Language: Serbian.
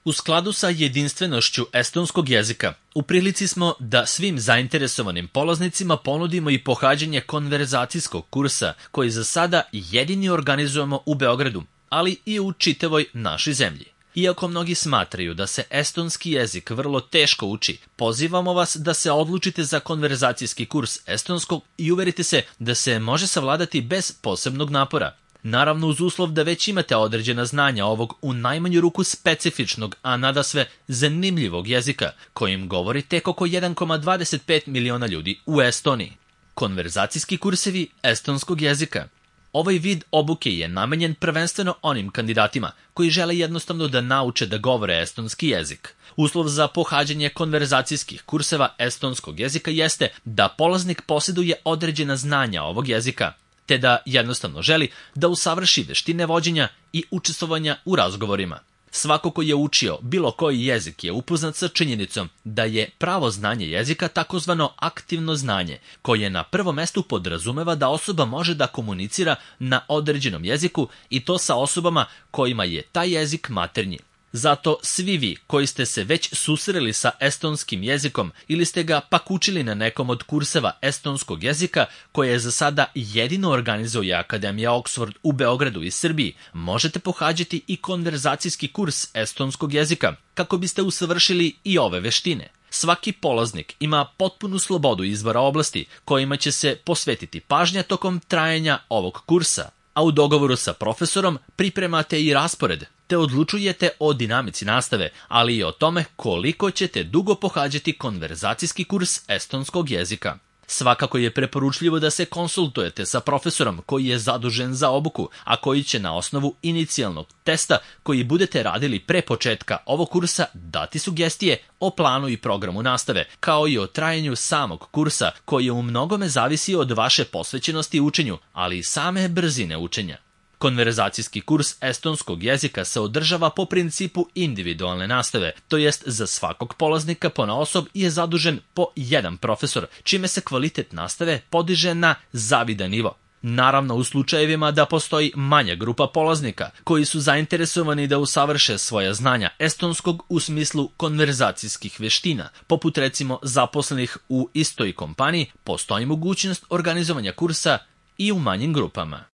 U skladu sa jedinstvenošću estonskog jezika, u prilici smo da svim zainteresovanim polaznicima ponudimo i pohađanje konverzacijskog kursa, koji za sada jedini organizujemo u Beogradu, ali i u čitavoj našoj zemlji. Iako mnogi smatraju da se estonski jezik vrlo teško uči, pozivamo vas da se odlučite za konverzacijski kurs estonskog i uverite se da se može savladati bez posebnog napora. Naravno uz uslov da već imate određena znanja ovog u najmanju ruku specifičnog, a nadasve zanimljivog jezika, kojim govori tek oko 1,25 miliona ljudi u Estoniji. Konverzacijski kursevi estonskog jezika. Ovaj vid obuke je namenjen prvenstveno onim kandidatima koji žele jednostavno da nauče da govore estonski jezik. Uslov za pohađanje konverzacijskih kurseva estonskog jezika jeste da polaznik posjeduje određena znanja ovog jezika, te da jednostavno želi da usavrši veštine vođenja i učestvovanja u razgovorima. Svako ko je učio bilo koji jezik je upoznat sa činjenicom da je pravo znanje jezika takozvano aktivno znanje, koje na prvom mestu podrazumeva da osoba može da komunicira na određenom jeziku i to sa osobama kojima je taj jezik maternji. Zato svi vi koji ste se već susreli sa estonskim jezikom ili ste ga pak učili na nekom od kurseva estonskog jezika koje je za sada jedino organizuje Akademija Oxford u Beogradu i Srbiji, možete pohađati i konverzacijski kurs estonskog jezika kako biste usavršili i ove veštine. Svaki polaznik ima potpunu slobodu izbora oblasti kojima će se posvetiti pažnja tokom trajanja ovog kursa, a u dogovoru sa profesorom pripremate i raspored, te odlučujete o dinamici nastave, ali i o tome koliko ćete dugo pohađati konverzacijski kurs estonskog jezika. Svakako je preporučljivo da se konsultujete sa profesorom koji je zadužen za obuku, a koji će na osnovu inicijalnog testa koji budete radili pre početka ovog kursa dati sugestije o planu i programu nastave, kao i o trajanju samog kursa koji u mnogome zavisi od vaše posvećenosti učenju, ali i same brzine učenja. Konverzacijski kurs estonskog jezika se održava po principu individualne nastave, to jest za svakog polaznika ponaosob je zadužen po jedan profesor, čime se kvalitet nastave podiže na zavidan nivo. Naravno u slučajevima da postoji manja grupa polaznika koji su zainteresovani da usavrše svoja znanja estonskog u smislu konverzacijskih veština, poput recimo zaposlenih u istoj kompaniji, postoji mogućnost organizovanja kursa i u manjim grupama.